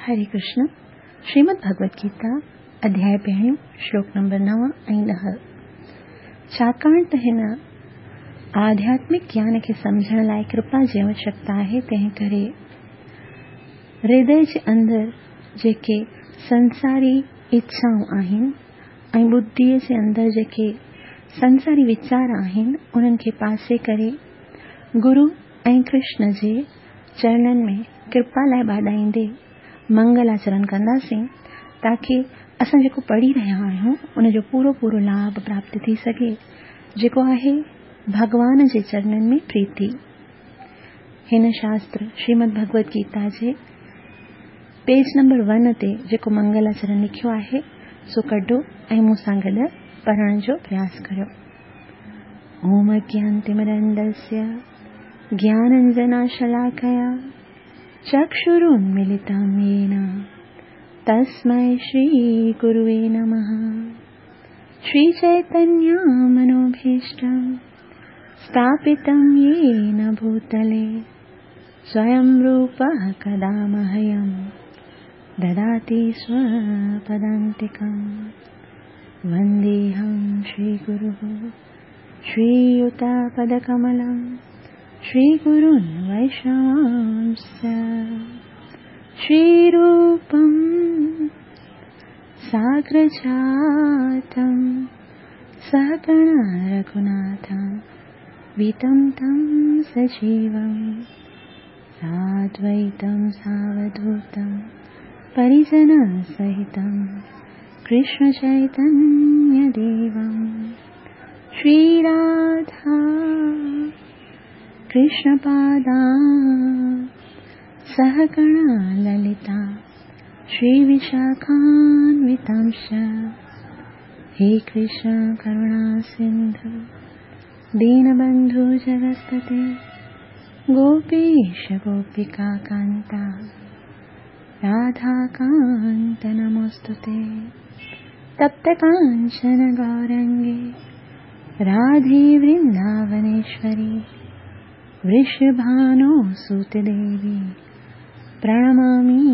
هري ڪرشن، شريمد ڀڳوت گيتا، اڌياء پهريون، شلوڪ نمبر 9 ۽ 10. ڇاڪاڻ ته هن آڌياتمڪ گيان کي سمجهڻ لاء ڪرپا جي آوشيڪتا آهي، تنهن ڪري هردي جي اندر جيڪي سنساري اڇائون آهن ۽ ٻڌيء جي اندر جيڪي سنساري ويچار آهن، انهن کي پاسي ڪري گرو ۽ ڪرشن جي چرنن ۾ ڪرپا لاء ٻاڏائيندي منگلاچرن ڪنداسين تاڪه اسان جيڪو پڙهي رهيا آهيون ان جو پورو پورو لاڀ پراپت ٿي سگهي جيڪو آهي ڀڳوان جي چرنن ۾ پريتي. هن شاستر شريمد ڀڳوت گيتا جي پيج نمبر ون تي جيڪو منگلاچرن لکيو آهي سو ڪڍو ۽ مون سان گڏ پڙهڻ جو پرياس ڪريو. اوم اگيانتمرندسيه گيانانجناشلاڪيا چڪشرونملتم يين تسمي شري گروي نمه. شري چيتنيه منوڀيشٽم اسٿاپتم يين ڀوتلي سويم روپه ڪدا مهيم دداتي سوپدانتڪم. ونديهم شري گروه شرييتپدڪملم شري گرون ويشنوانس شري روپم ساگرجاتم سهگڻ رघناٿم ويتم تم سجيوم سادويتم ساوڌوتم پريجن سهتم ڪرشن چيتنيه ديوم شري راڌا ڪرشن پادا سهگڻ للتا شري وشاکانوتامش. هي ڪرشن ڪروڻا سنڌو دينبنڌو جگتپتي گوپيش گوپيڪا ڪانتا راڌا ڪانت نموستتي. تپت ڪانچن گورانگي راڌي ورنداونيشوري ورشڀانو سوت ديوي پرڻمامي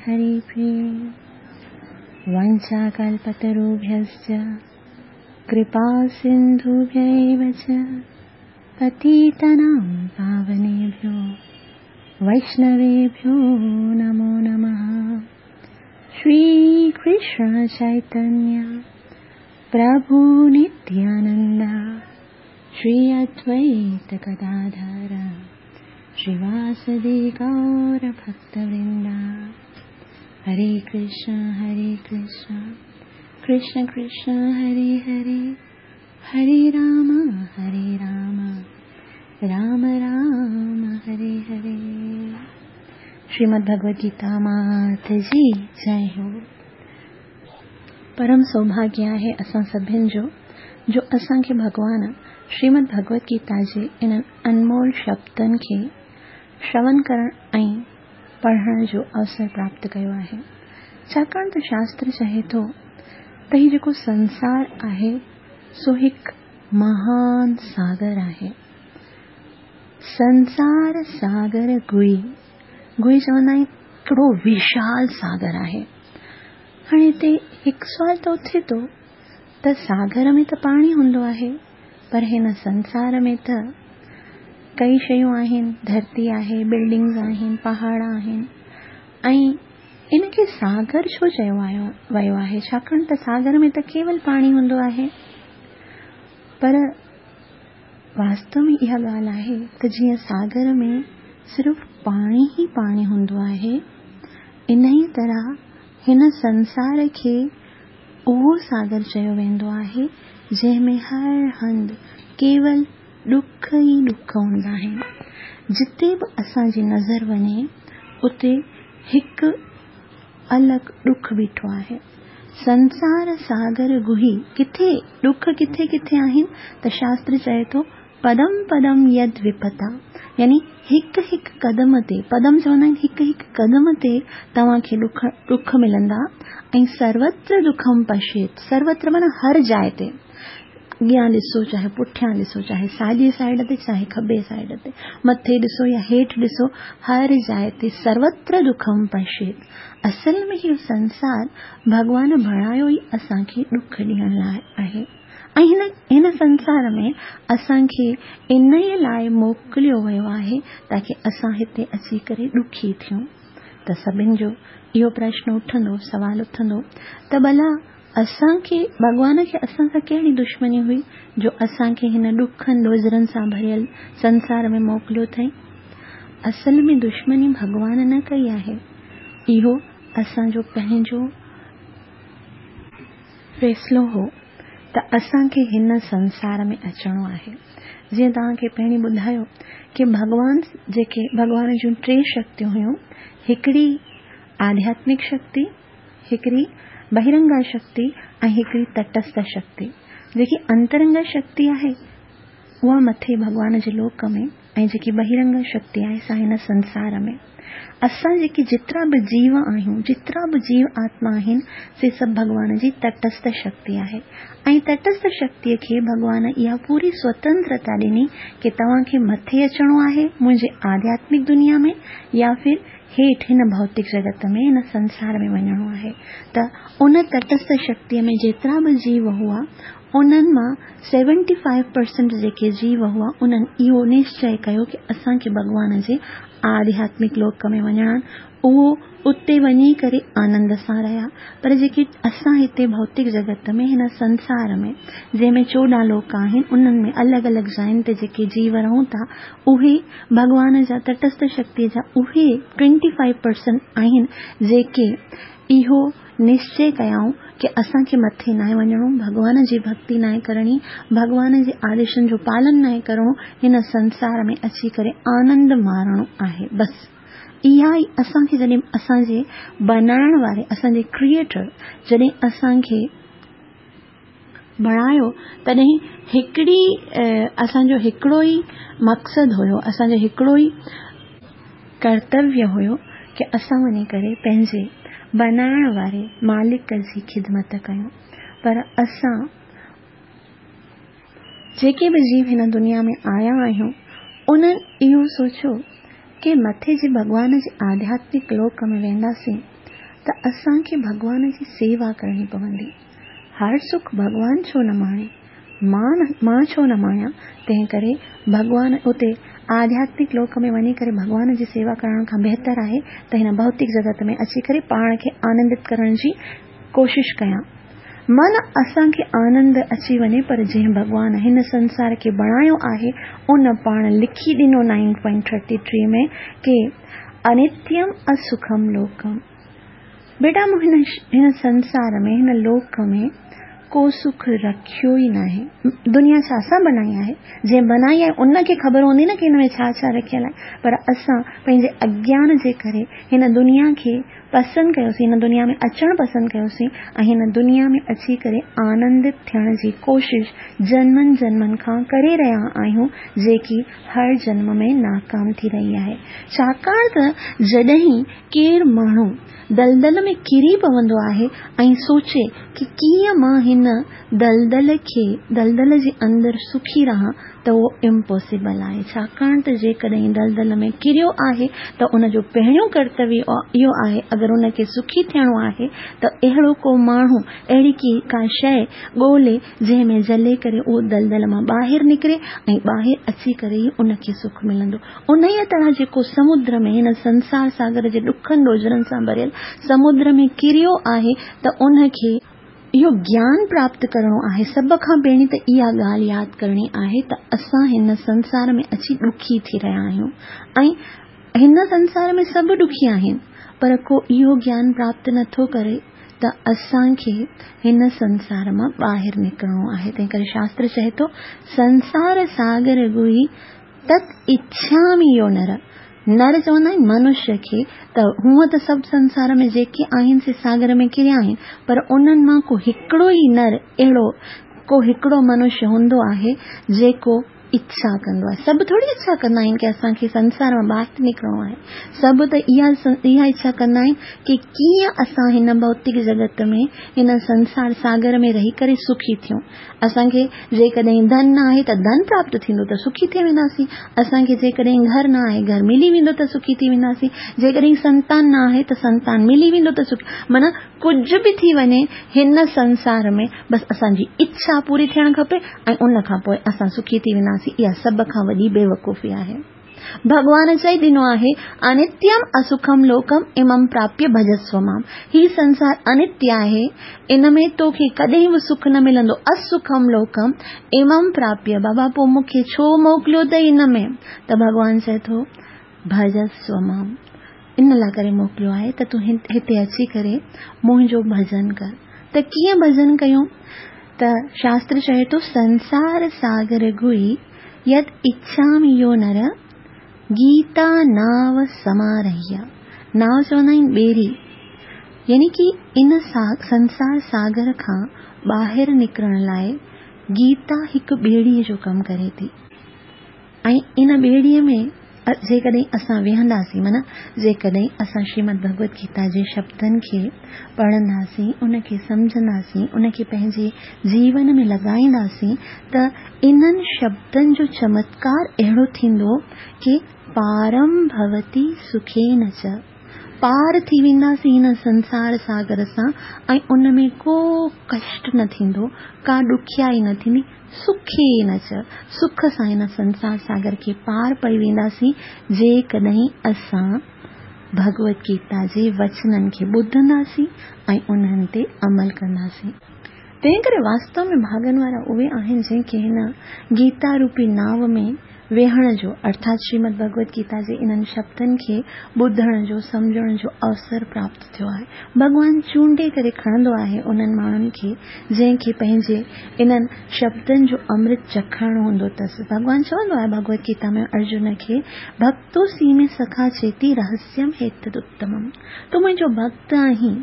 هري پريي. وانڇاڪلپتروڀيشچ ڪرپا سنڌوڀيو چ پتيتنام پاونيڀيو ويشنويڀيو نمو نمه. شري ڪرشن چيتنيه پرڀو نتيانند شري ادويت گداڌر شريواسدي گور ڀڪتورندا. هري ڪرشن هري ڪرشن ڪرشن ڪرشن هري هري هري رام هري رام رام رام هري هري. شريمد ڀڳوت گيتا مات جي جئي هو. پرم سوڀاگيه آهي اسان سڀن جو، جو اسان کي ڀڳوان شريمد ڀڳوت گيتا جي انهن انمول شبدن کي شرون ڪرڻ ۽ پڙهڻ جو اوسر پراپت ڪيو آهي. ڇاڪاڻ ته شاستر چئي ٿو ته هي جيڪو سنسار آهي سو هڪ مهان ساگر آهي. سنسار ساگر گوئي، گوئي چوندا آهن هڪڙو وشال ساگر آهي. هاڻي هتي هڪ سوال ته اٿي ٿو ته ساگر ۾ ته پاڻي هوندو آهي پر هن سنسار ۾ ته ڪئي شيون آهن، ڌرتي آهي، بلڊنگز آهن، پهاڙ آهن ۽ ان کي ساگر ڇو چيو ويو آهي؟ ڇاڪاڻ ته ساگر ۾ ته ڪيول پاڻي هوندو آهي. پر واستو ۾ اها ڳالهه آهي ته جيئن ساگر ۾ صرف پاڻي ئي پاڻي هوندو آهي، انهيء طرح هن سنسار کي اهو ساگر چيو ويندو آهي، جنهن ۾ هر هنڌ ڪيول ڏک ئي ڏک هوندا آهن. جتي به اسان جي نظر وڃي، اتي هڪ الڳ ڏک بيٺو آهي. سنسار ساگر گهي ڪٿي ڏک ڪٿي ڪٿي آهن ته شاستر چئي ٿو پدم پدم يد وپتا يعني هڪ هڪ قدم تي، پدم چوندا آهن هڪ هڪ قدم تي توهان کي ڏک ڏک ملندا ۽ سروتر دکم پشيت، سروتر معنيٰ هر جاء تي، اڳيان ڏسو چاهي پٺيان ڏسو، چاهي ساڄي سائيڊ تي چاهي کٻي سائيڊ تي، مٿي ڏسو يا هيٺ ڏسو، هر جاء تي سروتر دکم پشيت. اصل ۾ اهو سنسار ڀڳوان بڻايو ئي اسان کي ڏک ڏيڻ لاء آهي ۽ هن هن سنسار ۾ اسان کي انهيء لاء موڪليو ويو آهي تاڪه اسان هتي اچي ڪري ڏکي ٿيون. ته سڀن جو اهو پرشن اٿندو، سوال اٿندو ته ڀلا اسان کي ڀڳوان کي اسان سان ڪهڙي دشمني هئي جو اسان کي هن ڏکن ڏوجهرن سان ڀريل سنسار ۾ موڪليو اٿئي؟ اصل ۾ دشمني ڀڳوان نه ڪئي آهي، اهو اسان جو پنهنجو فيصلو هو ته اسان کي هن سنسار ۾ اچڻو آهي. جيئن توهان کي پهرين ٻڌايو ڪي ڀڳوان جيڪي ڀڳوان جون ٽي شڪتيون هيون، هڪڙي آڌياتمڪ شڪتي، هڪڙي بهرنگا شڪتي ۽ هڪڙي تٽسٿ شڪتي. جيڪي انترنگا شڪتي آهي، اها مٿي ڀڳوان جي لوڪ ۾ ۽ جيڪي بهرنگا شڪتي آهي سا هن سنسار ۾. اسان جيڪي جيترا به جيو آهيون، جيترا به جيو آتما آهن، سي سڀ ڀڳوان جي تٽسٿ شڪتي آهي ۽ تٽسٿ شڪتيء کي ڀڳوان اها پوري سوتنترتا ڏني ڪي توهان کي مٿي اچڻو آهي منهنجي آڌياتمڪ دنيا ۾ يا ڦر هيٺ هن ڀوتڪ جڳت ۾ هن سنسار ۾ وڃڻو آهي ته ان تٽسٿ شڪتيء ۾ جيترا به جيو هئا، انهن مان سيونٽي فائيو پرسنٽ جيڪي جيو هئا، انهن اهو نشچئه ڪيو ڪي اسان کي ڀڳوان جي آڌياتمڪ لوڪ ۾ وڃڻ آهن. اهو اتي وڃي ڪري آنند سان رهيا. پر جيڪي اسان هتي ڀوتڪ جڳت ۾ هن سنسار ۾ جنهن ۾ 14 لوڪ آهن، انهن ۾ الڳ الڳ جاين تي جيڪي جيو رهون ٿا، اهي ڀڳوان جا تٽسٿ شڪتيء جا اهي ٽوئنٽي فائيو پرسنٽ آهن جيڪي اهو نشچي ڪيائون ڪي اسان کي مٿي ناهي وڃڻو، ڀڳوان جي ڀڳتي ناهي ڪرڻي، ڀڳوان جي آديشن جو پالن ناهي ڪرڻو، هن سنسار ۾ اچي ڪري آنند مارڻو آهي بس اها ئي اسان کي جڏهن اسان جي بنائڻ واري اسان جي ڪريئيٽر جڏهن اسان کي بڻايو تڏهن هڪڙي اسان جو هڪڙو ئي مقصد هيو اسان جو هڪڙو ئي ڪرتويه هيو ڪي اسان وڃي ڪري پنهنجي بنائڻ واري مالڪ جي خدمت ڪيون پر اسان جيڪي به جيو هن دنيا ۾ آيا آهيون انهن اهو سوچيو ڪي مٿي جي ڀڳوان جي آڌياتمڪ لوڪ ۾ وينداسين ته اسان کي ڀڳوان جي سيوا ڪرڻي پوندي. هر سک ڀڳوان ڇو نه ماڻي؟ مان مان ڇو نه ماڻيان؟ تنهن ڪري ڀڳوان اتي آڌياتمڪ لوڪ ۾ وڃي ڪري ڀڳوان جي سيوا ڪرڻ کان بهتر آهي ته هن ڀوتڪ جڳت ۾ اچي ڪري پاڻ کي آنندت ڪرڻ جي ڪوشش ڪيان. من اسان کي آنند اچي وڃي پر جنهن ڀڳوان هن سنسار کي بڻايو آهي ان پاڻ لکي ڏنو نائين پوائنٽ ٿرٽي ٽري ۾ ڪي انتيم اسکم لوڪم. بيٽا مون هن هن سنسار ۾ هن لوڪ ۾ ڪو سک رکيو ئي ناهي. دنيا ڇا اسان بنائي آهي؟ جنهن بنائي آهي ان کي خبر هوندي نه ڪي هن ۾ ڇا ڇا رکيل آهي. پر اسان پنهنجي اگيان جي ڪري هن دنيا کي پسند ڪيوسين، هن دنيا ۾ اچڻ پسند ڪيوسين ۽ هن دنيا ۾ اچي ڪري آنندت ٿيڻ جي ڪوشش جنمن جنمن کان ڪري رهيا آهيون جيڪي هر جنم ۾ ناڪام ٿي رهي آهي. ڇاڪاڻ ته جڏهن ڪير ماڻهو دلدل ۾ ڪري پوندو آهي ۽ سوچي ڪي ڪيئن مان هن دلدل کي دلدل جي اندر سکي رهان ته اهو امپاسيبل آهي ڇاڪاڻ ته جيڪڏهن دلدل ۾ ڪريو آهي ته ان جو پهريون ڪرتويه اهو آهي اگر ان کي سکي ٿيڻو آهي ته اهڙو ڪو ماڻهو اهڙي ڪي ڪا شيء ڳولي جنهن ۾ جلي ڪري اهو دلدل مان ٻاهر نڪري ۽ ٻاهر اچي ڪري ئي ان کي سک ملندو. انهيء طرح جيڪو سمنڊ ۾ هن سنسار ساگر جي ڏکن ڏوجهرن سان ڀريل سمنڊ ۾ ڪريو آهي ته ان کي اهو گيان پراپت ڪرڻو آهي. سڀ کان پهرين ته اها ڳالهه ياد ڪرڻي آهي ته اسان هن سنسار ۾ اچي ڏکي ٿي رهيا آهيون ۽ هن سنسار ۾ سڀ ڏکي آهن پر ڪو اهو گيان پراپت نٿو ڪري ته اسان کي هن سنسار مان ٻاهر نڪرڻو آهي. تنهنڪري شاستر چئي ٿو، سنسار ساگر گهي تت اڇامي يو نر، نر چوندا آهن منشيه کي ته هونء ته سڀ سنسار ۾ جيڪي آهن سي ساگر ۾ ڪريا آهن پر انهن مان ڪو هڪڙو ئي نر اهڙو ڪو هڪڙو منشيه هوندو آهي جيڪو اڇا ڪندو آهي. سڀ ٿوري اڇا ڪندا آهن ڪي اسان کي سنسار مان ٻاهر نڪرڻو آهي. سڀ ته اها اڇا ڪندا آهن ڪي ڪيئن اسان هن ڀوتڪ جڳت ۾ هن سنسار ساگر ۾ رهي ڪري سکي ٿيون. اسان کي جيڪڏهن ڌن نه آهي ته ڌن پراپت ٿيندو ته سکي ٿي وينداسين. اسان کي جيڪڏهن گهر نه آهي، گهر ملي ويندو ته سکي ٿي وينداسين. جيڪڏهن سنتان نه آهي ته سنتان ملي ويندو ته سکي، معنيٰ ڪجهه به ٿي وڃي هن سنسار ۾ بس اسان جي اڇا پوري ٿيڻ کپي ۽ ان کان پوء اسان سکي ٿي وينداسين. اها سڀ کان وڏي بيوقوفي آهي. ڀڳوان چئي ڏنو آهي، انتيم اسکم لوڪم امم پراپيه ڀجسو مام. هي سنسار انتيه آهي، ان ۾ توکي ڪڏهن به سک نه ملندو. اسکم لوڪم امم پراپيه، بابا پوء مون کي ڇو موڪليو اٿئي ان ۾؟ ته ڀڳوان چئي ٿو، ڀجسو مام، ان لاء ڪري موڪليو آهي ته تون هتي اچي ڪري منهنجو ڀجن ڪر. ته ڪيئن ڀجن ڪيون؟ ته شاستر چئي ٿو، سنسار ساگر گهي يد اڇام يو نر، گيتا ناو سمارهيا. ناو چوندا آهن ٻيڙي، يعني ڪي ان سنسار ساگر کان ٻاهر نڪرڻ لاء گيتا هڪ ٻيڙيء جو ڪم ڪري ٿي. ۽ ان ٻيڙيء ۾ جيڪڏهن اسان ويهنداسين، معنيٰ جيڪڏهن اسان شريمد ڀڳوت گيتا جي شبدن کي پڙهنداسين، ان کي سمجهنداسين، ان کي پنهنجي جيون ۾ لڳائينداسين ته انهن شبدن جو چمتڪار اهڙو ٿيندو ڪي پارم ڀوتي سکين چ، پار ٿي وينداسين هن سنسار ساگر سان ۽ ان ۾ ڪو ڪشٽ نه ٿيندو، ڪا ڏکيائي نه ٿيندي، سکين چ، سک سان هن سنسار ساگر کي پار پئي وينداسين، جيڪڏهن اسان ڀڳوت گيتا جي وچنن کي ٻڌنداسين ۽ انهن تي عمل ڪنداسين. تنهن ڪري واستو ۾ ڀاڳن وارا اهي آهن جن کي هن گيتا روپي ناو ۾ ويهڻ جو ارٿات شريمد ڀڳوت گيتا جي انهن شبدن کي ٻڌڻ جو، سمجهڻ جو اوسر پراپت ٿيو آهي. ڀڳوان چونڊي ڪري کڻندو آهي انهن ماڻهن کي جنهن کي پنهنجي انهن شبدن جو امرت چکڻو هوندو اٿس. ڀڳوان چوندو آهي ڀڳوت گيتا ۾ ارجن کي، ڀڪتو سي ۾ سکا چيتي رهسيم هيتد اتمم. تون منهنجو ڀڳت آهين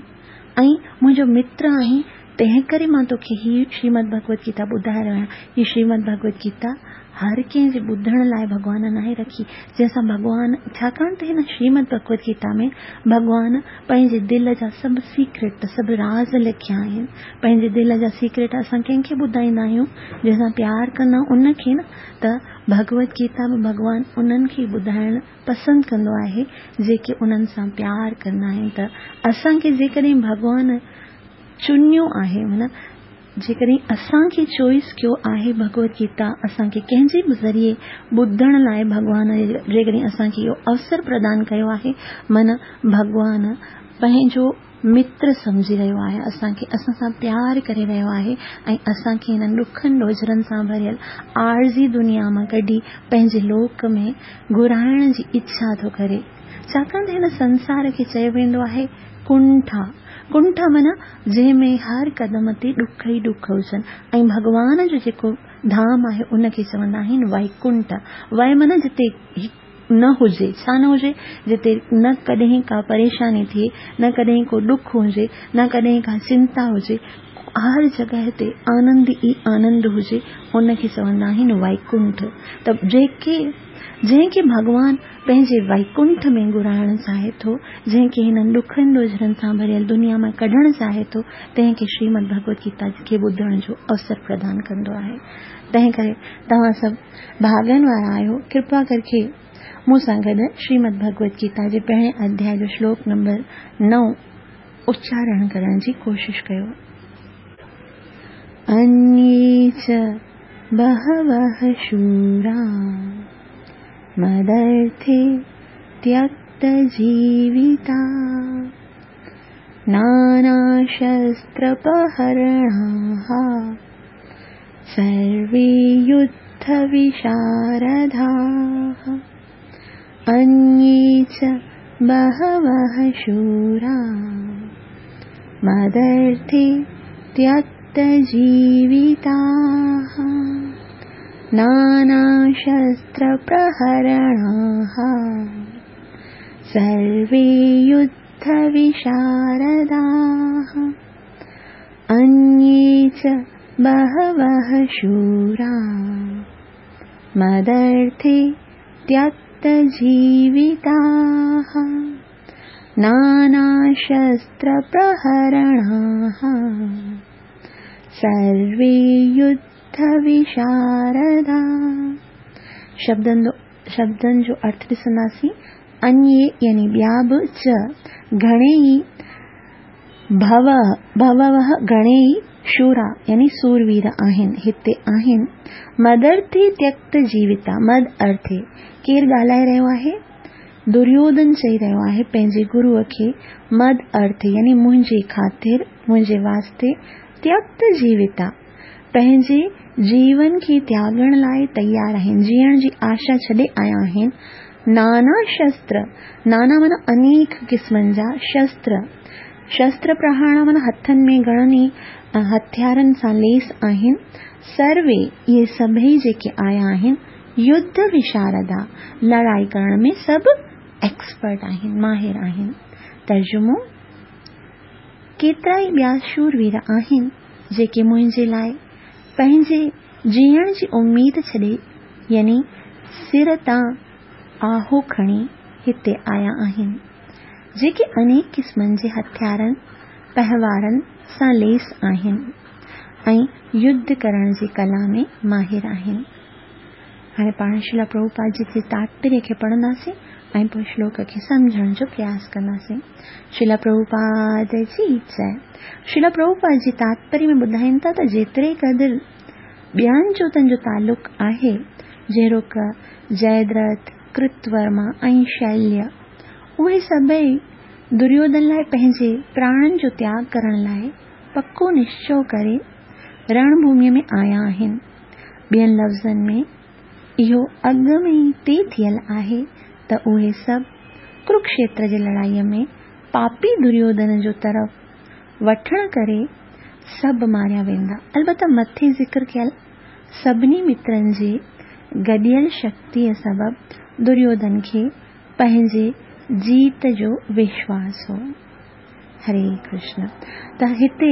۽ منهنجو متر آهين، تنهنڪري مان توکي هي شريمد ڀڳوت گيتا ٻڌائي رهيو آهيان. هي شريمد ڀڳوت گيتا هر ڪنهن جي ٻڌڻ لاء ڀڳوان ناهي رکي، جنهن سان ڀڳوان، ڇاڪاڻ ته هن شريمد ڀڳوت گيتا ۾ ڀڳوان پنهنجي دل جا سڀ سيڪريٽ، سڀ راز لکيا آهن. پنهنجي دل جا سيڪريٽ اسان ڪنهن کي ٻڌائيندا آهيون؟ جنهن سان پيار ڪندا آهيون ان کي نه، ته ڀڳوت گيتا به ڀڳوان انهن کي ٻڌائڻ پسند ڪندو آهي، جيڪي انهن سان پيار ڪندا آهن. ته اسان کي جيڪڏهن ڀڳوان چنيو آهي، معنيٰ جيڪڏهن اسان کي چوائس ڪيو آهي ڀڳوت گيتا اسان کي ڪنهن جي به ذريعي ٻڌڻ لاء ڀڳوان جيڪڏهن اسان کي اهو اوسر پردان ڪيو آهي، معنيٰ ڀڳوان پنهنجو متر سمجهي رهيو آهي، اسان کي اسان سان پيار ڪري رهيو آهي ۽ اسان کي هنن ڏکن ڏوجهرن سان ڀريل عارضي دنيا مان ڪڍي پنهنجي لوڪ ۾ گهرائڻ جي اڇا ٿو ڪري. ڇاڪاڻ ته هن سنسار کي چيو ويندو آهي ڪنٺا. ڪنٺا معنيٰ جنهن ۾ هر قدم تي ڏک ئي ڏک هجن ۽ ڀڳوان جو جيڪو ڌام آهي ان کي چوندا آهن ويڪنٺ. وي معنيٰ جتي نه هجي، ڇا نه هجي؟ جتي نه ڪڏهن ڪا پريشاني ٿئي، نه ڪڏهن ڪو ڏک هجي، نه ڪڏهن ڪا چنتا هجي، هر جڳهه تي آنند ئي آنند هجي، ان کي چوندا آهن ويڪنٺ. ته جيڪي جنهن کي ڀڳوان پنهنجي ويڪنٺ ۾ گهرائڻ چاهي ٿو، جنهن کي هنن ڏکن ڏوجهرن سان ڀريل دنيا مان ڪڍڻ چاهي ٿو، تنهن کي شريمد ڀڳوت گيتا کي ٻڌڻ جو اوسر پردان ڪندو آهي. تنهن ڪري توهان سڀ ڀاڳن وارا آهيو، ڪرپا ڪرڪي مون سان گڏ شريمد ڀڳوت گيتا جي پهرين اڌياء جو شلوڪ نمبر نو اچارڻ ڪرڻ جي ڪوشش ڪيو. انيي چ بهوه شورا مدرٿي تيڪت جيوتا نانا شستر پهرڻاها سروي يڌ وشارڌاها. انيي چ بهوه شورا مدرٿي تيڪت جيوتاها نانا شستر پرهرڻاها سروي يڌ وشارڌاها. انيي چ بهوه شورا मदर्थे त्यक्तजीविताः नानाशस्त्रप्रहरणाः सर्वे युद्धविशारदा। शब्दनि जो अर्थ ॾिसंदासीं, अन्ये यानी ॿिया बि, च घणेई, भव भववः घणेई, शूरा यानी सूरवीर आहिनि, हिते आहिनि। मदर्थे त्यक्त जीविता, मद अर्थे केरु ॻाल्हाए रहियो आहे? दुर्योधन चई रहियो आहे पंहिंजे गुरूअ खे, मद अर्थे यानी मुंहिंजे ख़ातिर, मुंहिंजे वास्ते, त्यक्त जीविता पंहिंजे जीवन खे त्यागण लाइ तयारु आहिनि, जीअण जी आशा छॾे आया आहिनि। नाना शस्त्र, नाना माना अनेक क़िस्मनि जा शस्त्र, शस्त्र प्रहाण माना हथनि में घणनि ई हथियारनि सां लेस आहिनि। सर्वे इहे सभई जेके आया आहिनि, युद्ध विशारदा लड़ाई करण में सभु एक्सपर्ट आहिनि, माहिर आहिनि। तर्जुमो, केतिरा ई ॿिया शूरवीर आहिनि जेके मुंहिंजे लाइ पंहिंजे जीअण जी उमेद छॾे यानी सिर तां आहो खणी हिते आया आहिनि, जेके अनेक क़िस्मनि जे हथियारनि पहवारनि सां लेस आहिनि ऐं युद्ध करण जी कला में माहिर आहिनि। हाणे पाण श्रील प्रभुपाद जी जे तात्पर्य खे पढ़ंदासीं ऐं पोइ श्लोक खे सम्झण जो प्रयास कंदासीं। श्रील प्रभुपाद जी जय। श्रील प्रभुपाद जी तात्पर्य में ॿुधाइनि था त जेतिरे क़दुरु ॿियनि जोतनि जो तालुक आहे, जहिड़ोक जयद्रथ, कृतवर्मा ऐं शैल्य, उहे सभई दुर्योधन लाइ पंहिंजे प्राणनि जो त्याग करण लाइ पको निश्चय करे रणभूमिअ में आया आहिनि। ॿियनि लफ़्ज़नि में इहो अॻु में ई तय थियल आहे त उहे सभु कुरुक्षेत्र जे लड़ाईअ में पापी दुर्योधन जो तरफ़ वठण करे सभु मारिया वेंदा। अलबत्त मथे ज़िक्र कयल सभिनी मित्रनि जे गॾियल शक्तीअ सबबु दुर्योधन खे पंहिंजे जीत जो विश्वास हो। हरे कृष्ण। त हिते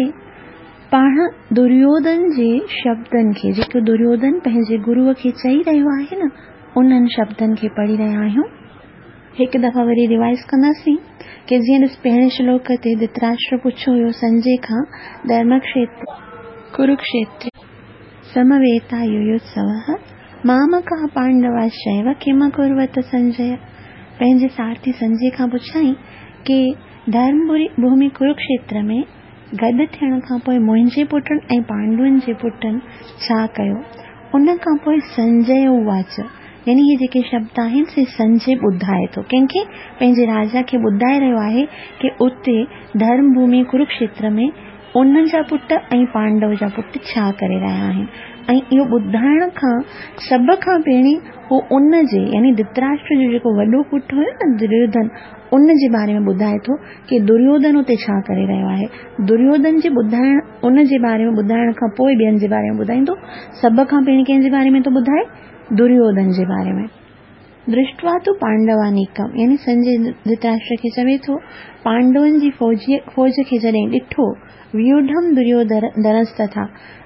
पाण दुर्योधन जे शब्दनि खे, जेको दुर्योधन पंहिंजे गुरूअ खे चई रहियो आहे न, उन्हनि शब्दनि खे पढ़ी रहिया आहियूं। हिकु दफ़ा वरी रिवाइज़ कंदासीं की जीअं ॾिस पहिरें श्लोक ते धृतराष्ट्र पुछियो हुयो संजय खां, धर्मक्षेत्र कुरुक्षेत्र समवेता युयुत्सवः मामकाः पाण्डवाश्चैव किमकुर्वत संजय। पंहिंजे सारथी संजय खां पुछाई की धर्मभूमि कुरुक्षेत्र में गॾु थियण खां पोइ मुंहिंजे पुटनि ऐं पांडुनि जे पुटनि छा कयो? उन खां पोइ संजय उवाच, यानी इहे जेके शब्द आहिनि से संजय ॿुधाए थो। कंहिंखे? पंहिंजे राजा खे ॿुधाए रहियो आहे की उते धर्मभूमि कुरुक्षेत्र में उन जा पुट ऐं पांडव जा पुट छा करे रहिया आहिनि। ऐं इहो ॿुधाइण खां सभ खां पहिरीं हू उन जे यानी धृतराष्ट्र जो जेको वॾो पुटु हुयो न दुर्योधन, उन जे बारे में ॿुधाए थो की दुर्योधन उते छा करे रहियो आहे। दुर्योधन जे ॿुधाइण, उन जे बारे में ॿुधाइण खां पोइ ॿियनि जे बारे में ॿुधाईंदो। सभ खां पहिरीं कंहिंजे बारे में थो ॿुधाए? दुर्योधन जे बारे में। दृष्ट्वा तु पांडवानीकम, यानी संजय धृतराष्ट्र खे चवे थो पांडवनि जी फ़ौज खे जॾहिं ॾिठो, व्यूढम दुर्योधनस्तथा,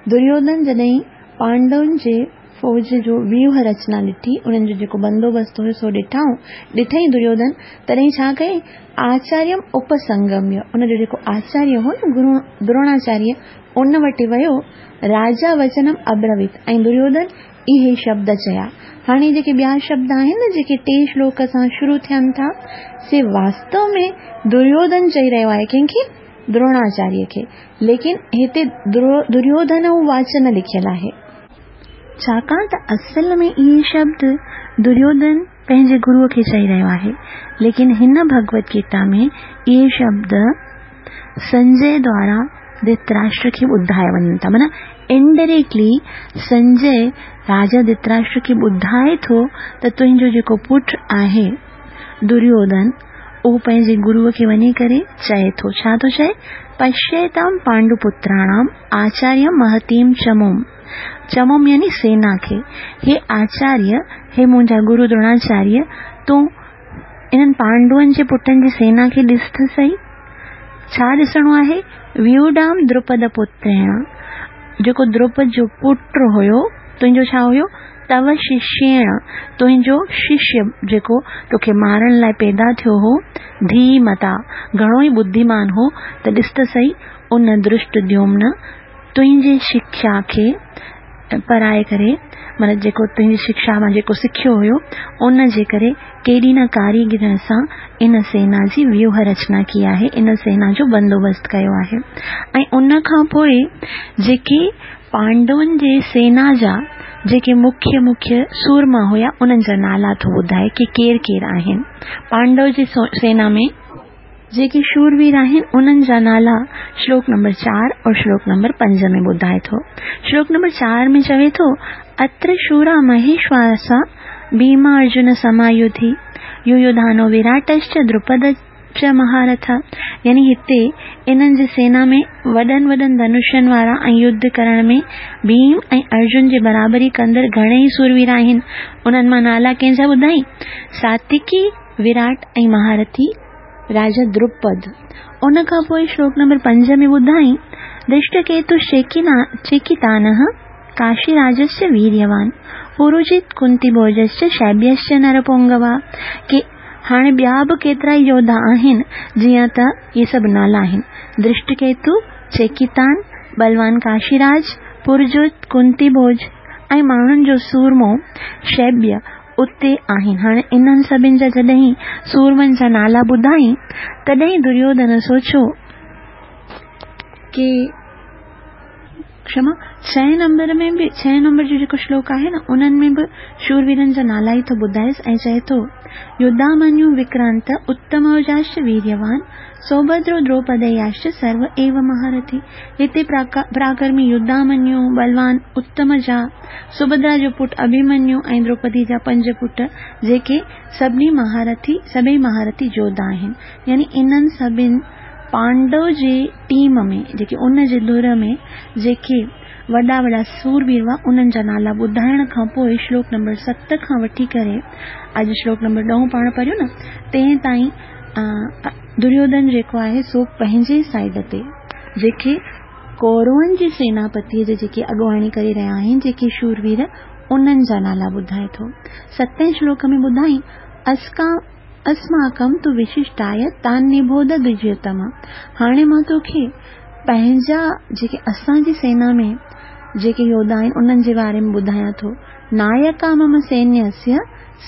दुर्योधन जॾहिं पांडवनि जे फ़ौज जो व्यूह रचना ॾिठी, उन्हनि जो जेको बंदोबस्तु हुयो सो ॾिठई दुर्योधन, तॾहिं छा कयईं? आचार्यम उपसंगम्य, उनजो जेको आचार्य हो न गुरु द्रोणाचार्य, उन वटि वियो, राजा वचनम अब्रवीत, ऐं दुर्योधन इहे शब्द चया। हाणे जेके ॿिया शब्द आहिनि न जेके टे श्लोक सां शुरू थियनि था, से वास्तव में दुर्योधन चई रहियो आहे कंहिंखे? द्रोणाचार्य खे। लेकिन हिते दुर्योधन वाच न लिखियल आहे, छाकाणि त असल में इहे शब्द दुर्योधन पंहिंजे गुरूअ खे चई रहियो आहे, लेकिन हिन भगवत गीता में इहे शब्द संजय द्वारा धृतराष्ट्र खे ॿुधाया वञनि था। माना इनडायरेक्टली संजय राजा धृतराष्ट्र खे ॿुधाए थो त तुंहिंजो जेको पुटु आहे दुर्योधन, उहो पंहिंजे गुरूअ खे वञी करे चए थो। छा थो चए? पश्यताम पांडुपुत्राणाम आचार्य महतीम चमुम, चमुम यानी सेना खे। हे आचार्य, हे मुंहिंजा गुरु द्रोणाचार्य, तूं इन्हनि पांडुअनि जे पुटनि जी सेना खे ॾिस त सही। छा ॾिसणो आहे? व्यूढाम द्रुपद पुत्रेण, जेको द्रुपद जो पुटु हुयो, तुंहिंजो छा हुयो? تو ششيڻ، تنهنجو ششيه جيڪو توکي مارڻ لاء پيدا ٿيو هو، ڌيمتا، گهڻو ئي ٻڌيمان هو ته ڏس ته سهي، ان ڌرشٽديومن تنهنجي شکيا کي پرائي ڪري، معنيٰ جيڪو تنهنجي شکشا مان جيڪو سکيو هيو، ان جي ڪري ڪيڏي نه ڪاريگريء سان ان سينا جي ويوهه رچنا ڪئي آهي، ان سينا جو بندوبست ڪيو آهي ۽ ان کان پوء جيڪي پانڊون جي سينا جا جيڪي مکيه مکيه سورما هيا انهن جا نالا ٿو ٻڌائي ڪي ڪير ڪير آهن. پانڊو جي سينا ۾ جيڪي شوروير آهن انهن جا نالا شلوڪ نمبر چار اور شلوڪ نمبر پنج ۾ ٻڌائي ٿو. شلوڪ نمبر چار ۾ چوي ٿو، اتر شورا مهيشواسا ڀيما ارجن سمايوڌي يويوڌانو وراٽشچ دروپد چ مهارٿ يعني هتي انهن جي سينا ۾ وڏن وڏن ڌنشن وارا ۽ يڌ ڪرڻ ۾ ڀيم ۽ ارجن جي برابري ڪندڙ گهڻيئي سوروير آهن. انهن مان نالا ڪنهن جا ٻڌائين؟ ساتيڪي، وراٽ ۽ مهارٿي راجا دروپد. ان کان پوء شلوڪ نمبر پنج ۾ ٻڌائين، ڌرشٽڪيتو چيڪيتانه ڪاشيراجश्च ويريوان، پوروجيت ڪنتي ڀوجश्च شيبيश्च نرپونگوا، ڪي هاڻي ٻيا به ڪيترائي يوڌا آهن، جيئن ته اهي سڀ نالا آهن، ڌرشٽڪيتو، چيڪيتان، ٻلوان ڪاشيراج، پورجوت، ڪنتي ڀوج ۽ ماڻهن جو سورمو شيبيه اتي آهن. هاڻي انهن سڀن جا جڏهن سورمن جا نالا ٻڌائين، تڏهن دريوڌن سوچيو ڪي. ڪشما، ڇهين نمبر ۾ به ڇهين نمبر جو جيڪو شلوڪ آهي نه انهن ۾ به شورويرن جا نالا ئي ٿو ٻڌائيس ۽ چئي ٿو، يڌامنيو وڪرانت اتموجاشچ ويريوان سوڀدرو دروپدياشچ سرو ايو مهارٿي. هتي پراڪرمي يڌامنيو، ٻلوان اتمجا، سڀدرا جو پٽ اڀيمنيو ۽ دروپدي جا پنج پٽ جيڪي سڀني مهارٿي سڀئي مهارٿي جوڌا آهن يعني انهن سڀن پانڊو جي ٽيم ۾ جيڪي ان جي ڌر ۾ جيڪي وڏا وڏا سوروير هئا انهن جا نالا ٻڌائڻ کان پوء شلوڪ نمبر ست کان وٺي ڪري اڄ شلوڪ نمبر ڏهون پاڻ پڙهيو نه تنهن تائين دريوڌن جيڪو آهي سو پنهنجي سائيڊ تي جيڪي ڪورون جي سيناپتيء جي جيڪي اڳواڻي ڪري رهيا آهن جيڪي شوروير انهن جا نالا ٻڌائي ٿو. ستين شلوڪ ۾ ٻڌائين اسڪا اسماڪم تو وششٽايه تان نبوڌ دجيتم هاڻي مان توکي پنهنجا جيڪي اسان جي سينا ۾ جيڪي يوڌا آهن انهن جي باري ۾ ٻڌايان ٿو نايڪا مم سينيسيه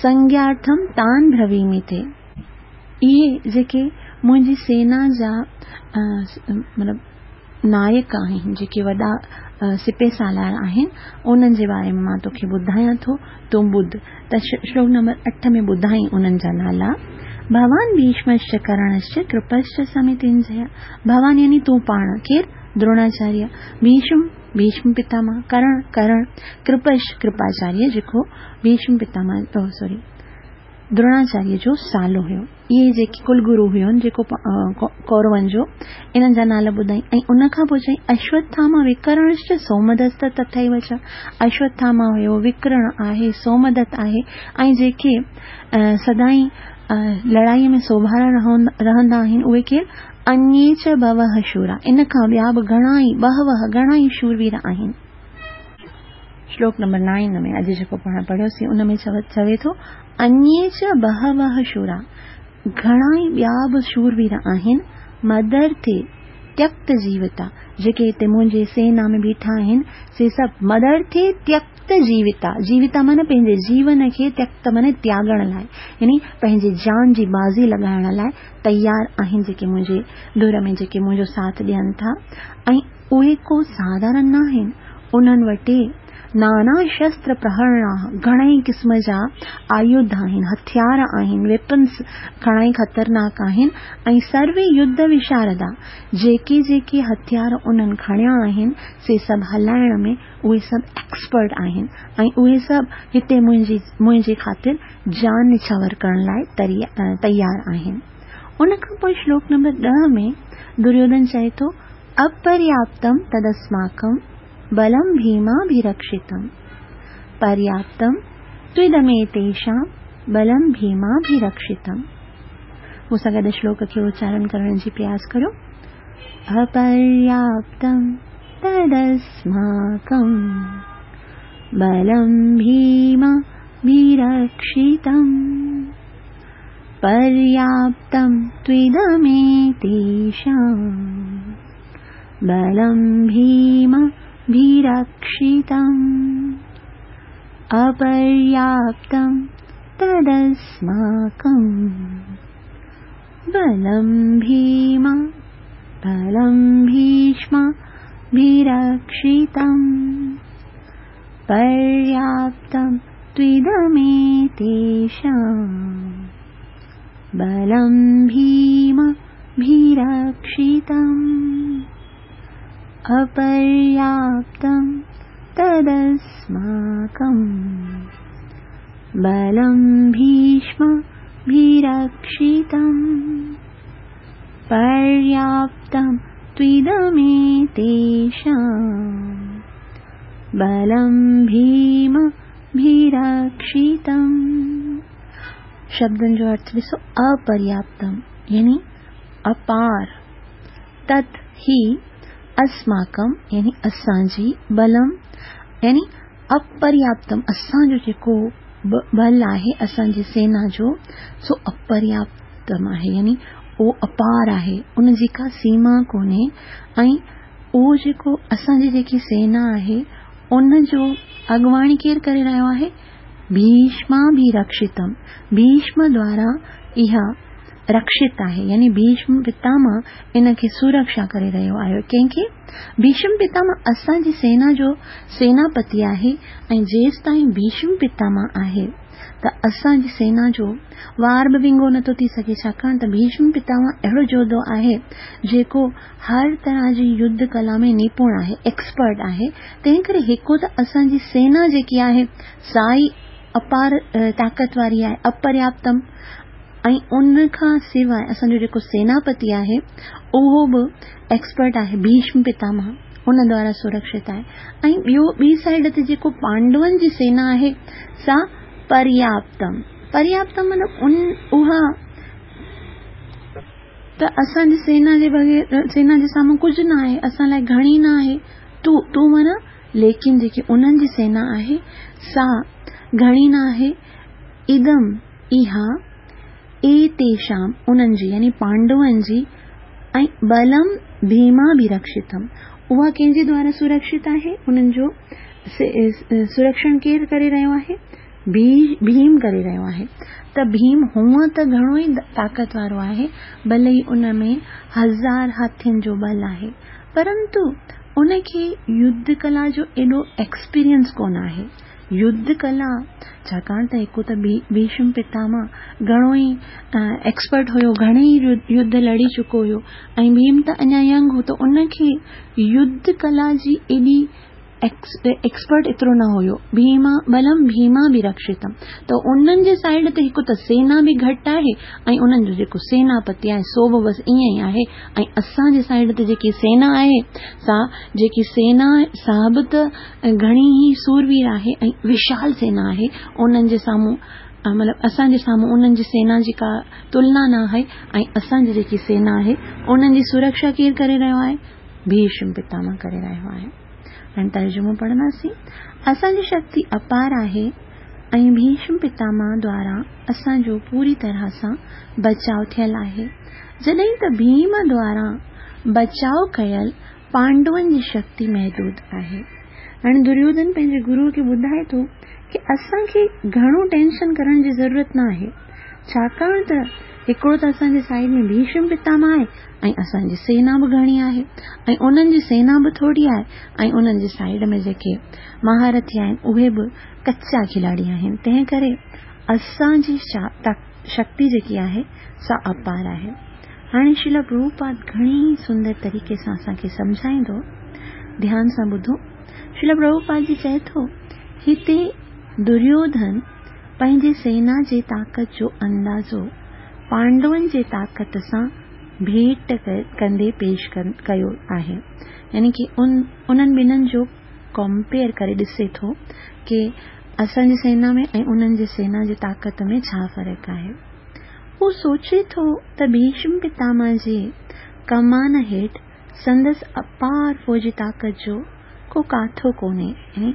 سنگيارٿم تان برهويمي تي اهي جيڪي منهنجي سينا جا مطلب نائڪ آهن، جيڪي وڏا سپهه سالار آهن، انهن جي باري ۾ مان توکي ٻڌايان ٿو، تون ٻڌ ته شلوڪ نمبر اٺ ۾ ٻڌائين انهن جا نالا، ڀوان ڀيشمشچ ڪرڻشچ ڪرپشچ سمتنجيه، ڀوان يعني تون پاڻ، ڪير؟ دروناچاريه، ڀيشم، ڀيشم پتاماه، ڪرڻ، ڪرڻ، ڪرپش، ڪرپاچاريه، جيڪو ڀيشم پتاماه، سوري، دروناچاريه جو سالو هيو. اهي جيڪي ڪل گرو هيون جيڪو ڪورون جو انهن جا نالا ٻڌائين ۽ ان کان پوء چيائين اشوٿاما وڪرڻشچ سومدست تٿيو چ اشوٿاما هيو وڪرڻ آهي سومدت آهي ۽ جيڪي سدائين لڙائي ۾ سوڀارا رهندا آهن اهي ڪير انيي چ بهوه شورا ان کان ٻيا به گهڻا ئي بهوه گهڻا ئي شوروير آهن. شلوڪ نمبر نائين ۾ اڄ جيڪو پاڻ پڙهيوسين ان ۾ چوي ٿو انيي چ بهوه شورا گهڻا ئي ٻيا به شوروير آهن مدرٿي تيڪت جيوتا جيڪي هتي منهنجي سينا ۾ بيٺا آهن سي سڀ مدرٿي تيڪت جيوتا جيوتا معنيٰ پنهنجي جيون کي تيڪت معنيٰ تياڳڻ لاء يعني پنهنجي جان جي بازي لڳائڻ لاء تيار آهن جيڪي منهنجي ڌر ۾ جيڪي منهنجو ساٿ ڏين ٿا ۽ اهي ڪو ساڌارڻ ناهن، انهن وٽ نانا شستر پرهرڻا، گهڻائي قسم جا آيوڌ آهن، هٿيار آهن، Weapons، گهڻائي خطرناڪ آهن ۽ سروي يڌ وشاردا، جيڪي جيڪي هٿيار انهن کڻيا آهن، سي سڀ هلائڻ ۾ اهي سڀ ايڪسپرٽ آهن ۽ اهي سڀ هتي منهنجي منهنجي خاطر جان نڇاور ڪرڻ لاء تيار آهن. ان کان پوء شلوڪ نمبر ڏهه ۾ دريوڌن چئي ٿو، اپرياپتم تدسماڪم بلم ڀيماڀيرڪشتم پرياپتم توئدميتيشام بلم ڀيماڀيرڪشتم. مون سان گڏ شلوڪ کي اچارڻ ڪرڻ جي پرياس ڪريو. اپرياپتم تدسماڪم बलं भीमाभिरक्षितम्। पर्याप्तं त्विदमेतेषां बलं भीमाभिरक्षितम्। अपर्याप्तं तदस्माकं बलं भीमा बलं भीष्माभिरक्षितम्। पर्याप्तं त्विदमेतेषां बलं भीमाभिरक्षितम्। अपर्याप्तं तदस्माकं बलं भीष्माभिरक्षितम्। पर्याप्तं त्विदमेतेषां बलं भीमाभिरक्षितम्। शब्दनि जो अर्थ ॾिसो, अपर्याप्तम यानी अपार, तत् ही अस्माकं यानी असांजी, बलम यानी अपर्याप्तम असांजो जेको बल आहे असांजी सेना जो, सो अपर्याप्तम आहे यानी उहो अपार आहे, उनजी का सीमा कोन्हे। ऐं उहो जेको असांजी जेकी सेना आहे उनजो अॻवाणी केरु करे रहियो आहे? भीष्माभिरक्षितम, भीष्म द्वारा इहा रक्षित आहे यानी भीष्म पितामह इन खे सुरक्षा करे रहियो आहे। कंहिंखे? भीष्म पितामह असांजी सेना जो सेनापति आहे ऐं जेसि ताईं भीष्म पितामह आहे त असांजी सेना जो वार बि विंगो नथो थी सघे, छाकाणि त भीष्म पितामह अहिड़ो जोधो आहे जेको हर तरह जी युद्ध कला में निपुण आहे, एक्सपर्ट आहे। तंहिं करे हिकु त असांजी सेना जेकी आहे सा ई अपार ताक़त वारी आहे, अपर्याप्तम, ऐं उन खां सवाइ असांजो जेको सेनापति आहे उहो बि एक्सपर्ट आहे, भीष्म पितामह उन द्वारा सुरक्षित आहे। ऐं ॿियो ॿी साइड ते जेको पांडवनि जी सेना आहे सा पर्याप्तम, पर्याप्तम माना उन उहा त असांजी सेना जे बग़ैर सेना जे साम्हूं कुझु न आहे, असां लाइ घणी न आहे। तूं तूं माना लेकिन जेकी उन्हनि जी सेना आहे सा घणी न आहे। इदम इहा एतेषां उन्हनि जी यानी पांडवनि जी, ऐं बलम भीमाभिरक्षितम, उहा कंहिंजे द्वारा सुरक्षित आहे? उन्हनि जो सुरक्षण केरु करे रहियो आहे? भीम करे रहियो आहे। त भीम हूअं त घणो ई ताक़त वारो आहे, भले ई उन में 1000 हाथियुनि जो बल आहे, परंतु उनखे युद्ध कला जो एॾो एक्सपीरियंस कोन आहे। युद्ध कला छाकाणि त हिकु त भीष्म पितामह घणो ई एक्सपर्ट हुयो, घणे ई युद्ध लड़ी चुको हुयो, ऐं भीम त अञा यंग हो, त उनखे युद्ध कला जी एॾी एक्सपर्ट एतिरो न हुयो। भीमा बलम भीमाभिरक्षितम, त उन्हनि जे साइड ते हिकु त सेना बि घटि आहे ऐं उन्हनि जो जेको सेनापति आहे सो बि बसि ईअं ई आहे, ऐं असांजे साइड ते जेकी सेना आहे सा जेकी सेना सा बि त घणी ई सूरवीर आहे ऐं विशाल सेना आहे, उन्हनि जे साम्हूं मतिलबु असांजे साम्हूं उन्हनि जी सेना जी का तुलना न आहे, ऐं असांजी जेकी सेना आहे उन्हनि जी सुरक्षा केरु करे रहियो आहे? भीष्म पितामह करे रहियो आहे। हाणे तर्जुमो पढ़ंदासीं। असांजी शक्ति अपार आहे ऐं भीष्म पितामह द्वारा असांजो पूरी तरह सां बचाव थियल आहे, जॾहिं त भीम द्वारा बचाव कयल पांडवनि जी शक्ति महदूद आहे। हाणे दुर्योधन पंहिंजे गुरूअ खे ॿुधाए थो की असांखे घणो टेंशन करण जी ज़रूरत न आहे, छाकाणि त हिकिड़ो त असांजे साइड में भीष्म पितामह आहे ऐं असांजी सेना बि घणी आहे ऐं उन्हनि जी सेना बि थोरी आहे, ऐं उन्हनि जी साइड में जेके महारथी आहिनि उहे बि कच्चा खिलाड़ी आहिनि, तंहिं करे असांजी शक्ति जेकी आहे सा अपार आहे। हाणे श्रील प्रभुपाद घणी सुंदर तरीक़े सां असांखे सम्झाईंदो, ध्यान सां ॿुधो। श्रील प्रभुपाद जी चए थो, हिते दुर्योधन पंहिंजी सेना जे ताक़त जो अंदाज़ो पांडवनि जे ताक़त सां भेंट कंदे पेश कयो आहे, यानी की उन्हनि ॿिन्हिनि जो कंपेयर करे ॾिसे थो की असांजी सेना में ऐं उन्हनि जी सेना जी ताक़त में छा फ़र्क़ु आहे। हू सोचे थो त भीष्म पितामह जे कमान हेठि संदसि अपार फ़ौजी ताक़त जो को काथो कोन्हे, यानी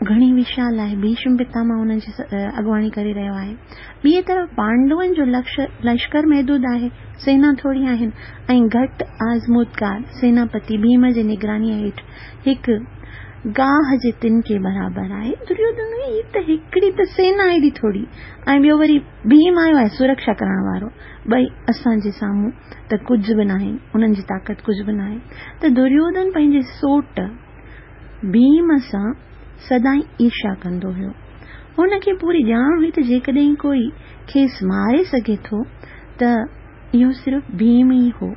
گهڻي وشال آهي، ڀيشم پتامه انهن جي اڳواڻي ڪري رهيو آهي. ٻئي طرف پانڊون جو لشڪر محدود آهي، سينا ٿوري آهن ۽ گهٽ آزمودگار سيناپتي ڀيم جي نگرانيء هيٺ هڪ گاهه جي تنڪي برابر آهي. دريوڌن، هي ته هڪڙي ته سينا ايڏي ٿوري ۽ ٻيو وري ڀيم آيو آهي سرڪشا ڪرڻ وارو، ٻئي اسان جي سامهون ته ڪجهه به ناهن، انهن جي طاقت ڪجهه به ناهي. ته دريوڌن پنهنجي سوٽ ڀيم سان سدائين ايرشا ڪندو هيو. هن کي پوري ڄاڻ هئي ته جيڪڏهن ڪوئي کيس ماري سگهي ٿو ته اهو صرف ڀيم ئي هو.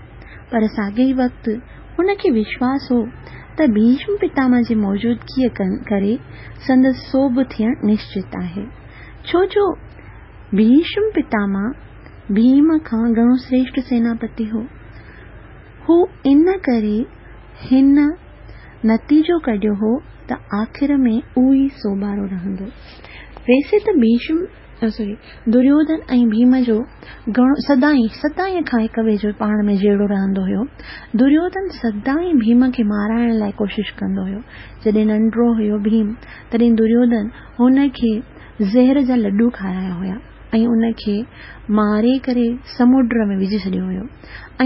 پر ساڳئي وقت هن کي وشواس هو ته ڀيشم پتامه جي موجودگيء ڪري سندس سوڀ ٿيڻ نشچت آهي. ڇو جو ڀيشم پتامه ڀيم کان گهڻو سريشٽ سيناپتي هو. هو ان ڪري هن نتيجو ڪڍيو هو ته آخر ۾ اهو ئي سوڀارو رهندو. ويسي ته ڀيشم سوري دريوڌن ۽ ڀيم جو گهڻو سدائين سدائين کان هڪ ٻئي جو پاڻ ۾ جهيڙو رهندو هيو. دريوڌن سدائين ڀيم کي مارائڻ لاء ڪوشش ڪندو هيو. جڏهن ننڍڙو هيو ڀيم تڏهن دريوڌن هن کي زهر جا لڏو کارايا هيا ۽ ان کي ماري ڪري سمنڊ ۾ وجهي ڇڏيو هيو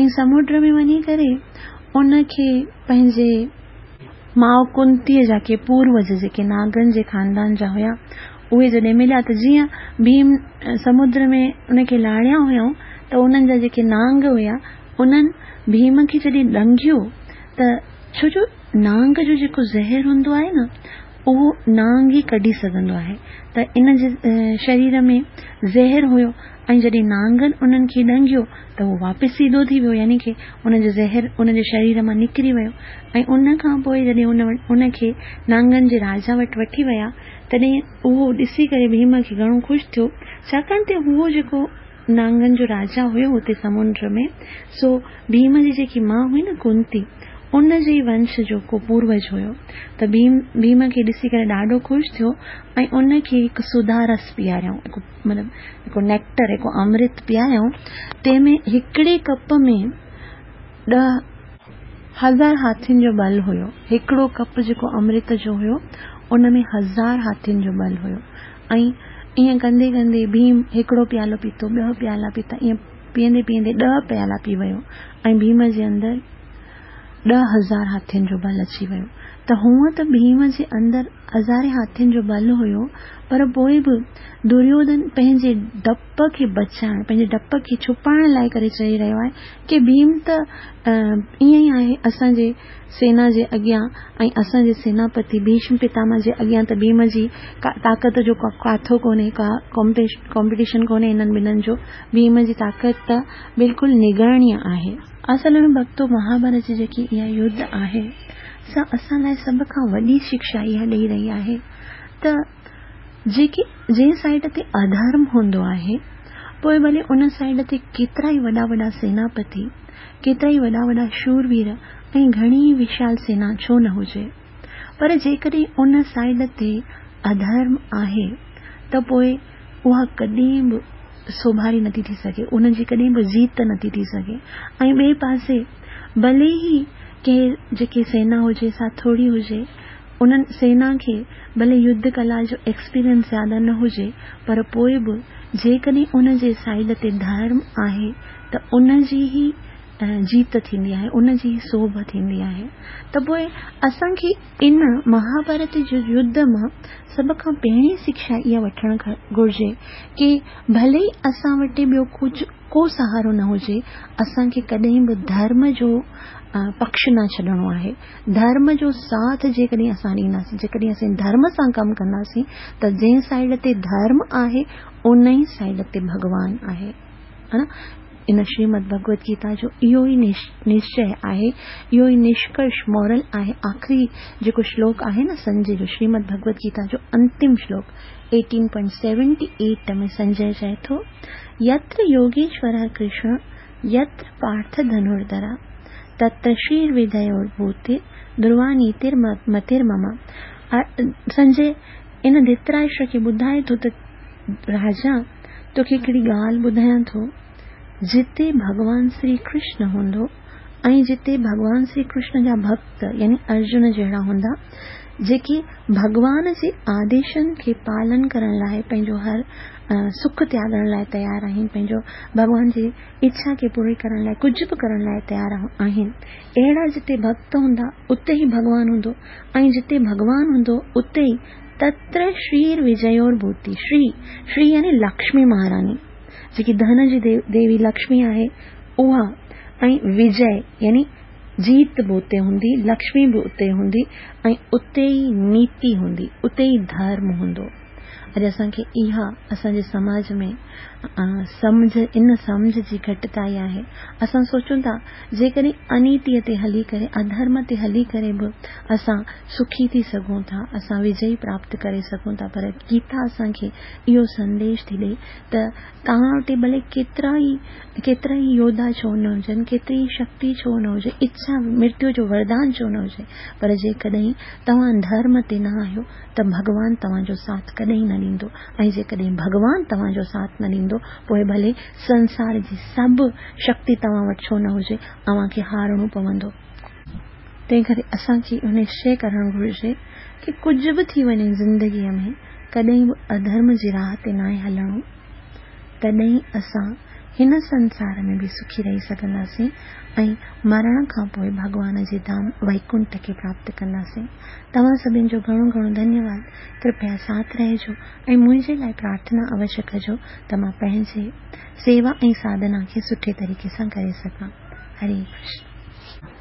۽ سمنڊ ۾ وڃي ڪري ان کي پنهنجي ماء ڪنتيء جا ڪي پوروج جيڪي ناگن جي خاندان جا هيا، اهي جڏهن مليا ته جيئن ڀيم سمنڊ ۾ ان کي لاڙيا هيائون ته انهن جا جيڪي نانگ هيا، انهن ڀيم کي جڏهن ڏنگيو ته ڇو جو نانگ جو جيڪو زهر هوندو آهي نه، اهو نانگ ئي ڪڍي سگهندو آهي ته ان جي شرير ۾ زهر هيو ۽ جڏهن نانگن انهن کي ڏنگيو ته اهو واپس سيڌو ٿي ويو يعني ڪي ان جو زهر ان جي شرير مان نڪري ويو ۽ ان کان پوء جڏهن ان ان کي نانگن جي راجا وٽ وٺي ويا تڏهن اهو ڏسي ڪري ڀيم کي گهڻو خوش ٿيو ڇاڪاڻ ته اهو جيڪو نانگن جو راجا هيو اتي سمنڊ ۾ سو ڀيم جي جيڪي ماء هئي نه ڪنتي ان جي ئي ونش جو ڪو پوروج هيو ته ڀيم ڀيم کي ڏسي ڪري ڏاڍو خوش ٿيو ۽ ان کي هڪ سڌا رس پياريائون هڪ مطلب هڪ نيڪٽر هڪ امرت پياريائون تنهن ۾ هڪڙي ڪپ ۾ ڏهه هزار هاٿين جو ٻل هيو هڪڙو ڪپ جيڪو امرت جو هيو ان ۾ هزار هاٿين جو ٻل هيو ۽ ائين ڪندي ڪندي ڀيم هڪڙو پيالو پيتو، ٻه پيالا پيتا، ائين پيئندي پيئندي ڏهه پيالا پي ويو ۽ ڀيم جي اندر 10,000 هاٿين جو ٻل اچي ويو ته هونء ته ڀيم جي اندر هزارين هاٿين جو ٻل هيو پر پوء به دريوڌن پنهنجي ڊپ کي بچائڻ، پنهنجي ڊپ کي ڇپائڻ لاء ڪري چئي رهيو آهي ڪي ڀيم ته ائين ئي آهي اسان جي سينا جي اڳيان ۽ اسان جي سيناپتي ڀيشم پتامه جي اڳيان ته ڀيم جي طاقت جو ڪو ڪاٿو ڪونهي، ڪا ڪامپيٽيشن ڪونهي انهن ٻنهن جو، ڀيم جي طاقت ته بلڪل نگڻيه آهي. اصل ۾ ڀڳتو مهاڀارت جي جيڪي اها يڌ آهي سا اسان لاء سڀ کان وڏي شڪشا اها ڏئي رهي آهي ته جيڪي جنهن سائيڊ تي اڌرم هوندو آهي پوء ڀلي ان سائيڊ تي ڪيترائي وڏا وڏا سيناپتي، ڪيترائي وڏا وڏا شوروير ۽ گهڻي ئي وشال سينا ڇو نه هجي پر جيڪڏهن ان سائيڊ تي اڌرم آهي ته پوء اها ڪڏهن به سوڀاري نٿي ٿي سگهي، ان جي ڪڏهن به جيت نٿي ٿي سگهي ۽ ٻئي پاسي ڀلي ئي ڪنهن جيڪي سينا هجي سا ٿوري هجي انهن سينا کي ڀلي يڌ ڪلا جو ايڪسپيرينس زياده نه هجي پر پوء به جيڪڏهن ان جي سائيڊ تي ڌرم آهي ته ان جي ئي جيت ٿيندي آهي ان جي ئي سوڀ ٿيندي آهي ته پوء اسان کي ان مهاڀارت جي يڌ مان سڀ کان پهرين شڪشا اها وٺڻ گهرجي ڪي ڀلي ئي اسان وٽ ٻيو ڪجهه ڪو سهارو نه هجي اسان کي ڪڏهن به ڌرم جو پڪش نه ڇڏڻو آهي ڌرم جو ساٿ جيڪڏهن اسان ڏينداسين، جيڪڏهن اسين ڌرم سان ڪم ڪنداسين ته جنهن سائيڊ تي ڌرم آهي ان ئي سائيڊ تي ڀڳوان آهي. ها نه؟ ان شريمد ڀڳوت گيتا جو اهو ئي نشچي آهي، اهو ئي نشڪرش، Moral، آهي. آخري جيڪو شلوڪ آهي نه سنجي جو، شريمد ڀڳوت گيتا جو انتم شلوڪ 18.78 ۾ سنجي چئي ٿو، يتر يوگيشورः ڪرشن يتر پارٿ ڌنرڌرا، تتر شرير وڌيور ڀوتي، ڌروا نيتر متر مم. سنجي ان ڌتراشٽر کي ٻڌائي ٿو ته راجا توکي هڪڙي ڳالهه ٻڌايان ٿو، جتي ڀڳوان سري ڪرشن هوندو ۽ جتي ڀڳوان شري ڪرشن جا ڀڳت يعني ارجن جهڙا هوندا، جيڪي ڀڳوان جي آديشن کي پالن ڪرڻ لاء پنهنجو هر سک تياڳڻ لاء تيار آهن، پنهنجو ڀڳوان جي اڇا کي پوري ڪرڻ لاء ڪجهه به ڪرڻ لاء تيار آهن. اهڙا جتي ڀڳت هوندا، اتي ئي ڀڳوان هوندو ۽ جتي ڀڳوان هوندو، اتي ئي تتر شرير وجيور ڀوتي، شري، شري يعني لڪشمي مهاراني، جيڪي ڌن جي ديوي لڪشمي آهي، اها ۽ وجي يعني جيت به اتي هوندي، لڪشمي به اتي هوندي ۽ اتي ئي نيتي هوندي، اتي ئي ڌرم هوندو. اڄ اسان کي اها اسان جي سماج ۾ سمجهه ان سمجهه جي گهٽتائي آهي. اسان سوچون ٿا جيڪڏهن انيتيء تي هلي ڪري اڌرم تي هلي ڪري به اسان سکي ٿي سگهون ٿا، اسان وجئي پراپت ڪري سگهون ٿا پر گيتا اسان کي اهو سنديش ٿي ڏئي ته توهان وٽ ڀلي ڪيترا ئي ڪيترا ئي يوڌا ڇو نه هجن، ڪيتري ئي شڪتي ڇو نه هجي، اڇا مرتيو جو وردان ڇو نه هجي، پر جيڪڏهن توهان ڌرم تي نه آهيو ته ڀڳوان توهان جو ساٿ ڪڏهن نه ڏيندو ۽ جيڪڏهن ڀڳوان توهان جو ساٿ نه ڏيندو پوء ڀلي سنسار جي سڀ شڪتي توهان وٽ ڇو نه هجي، اوهان کي هارڻو پوندو. تنهن ڪري اسان کي اهو نشچي ڪرڻ گهرجي ڪي ڪجهه به ٿي وڃي زندگيء ۾ ڪڏهن به اڌرم جي راهه تي ناهي هلڻو. تڏهن ئي اسان هن سنسار ۾ به سکي رهي سگهنداسين ۽ مرڻ کان پوء ڀڳوان جي ڌام وئڪنٺ کي پراپت ڪنداسين. توهان سڀن جو گهڻو گهڻو ڌنيواد. ڪرپيا ساٿ رهجو ۽ منهنجي لاء پرارٿنا اوشيه ڪجو ته مان پنهنجي سيوا ۽ ساڌنا کي سٺي طريقي سان ڪري سگهان. هري ڪرشن.